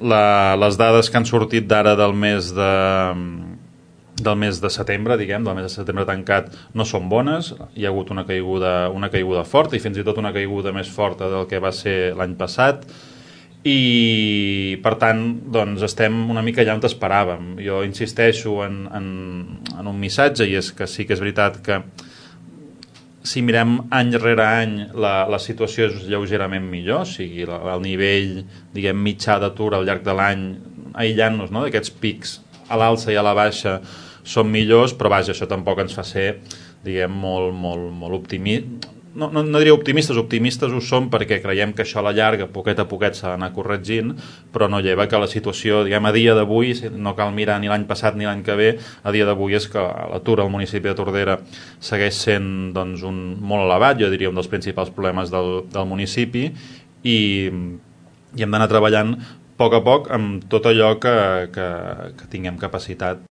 les dades que han sortit d'ara del mes de setembre, diguem, del mes de setembre tancat, no són bones. Hi ha hagut una caiguda forta, i fins i tot una caiguda més forta del que va ser l'any passat, i per tant doncs estem una mica allà on esperàvem. Jo insisteixo en un missatge, i és que sí que és veritat que si mirem any rere any la situació és lleugerament millor, o sigui, el nivell, diguem, mitjà d'atur al llarg de l'any, aïllant-nos, no?, d'aquests pics a l'alça i a la baixa, són millors, però vaja, això tampoc ens fa ser, diguem, molt optimistes. No diria optimistes ho som perquè creiem que això a la llarga, poquet a poquet, s'ha d'anar corregint, però no lleva que la situació, diguem, a dia d'avui, no cal mirar ni l'any passat ni l'any que ve, a dia d'avui és que l'atur al municipi de Tordera segueix sent, doncs, molt elevat, jo diria un dels principals problemes del municipi, i hem d'anar treballant a poc amb tot allò que tinguem capacitat.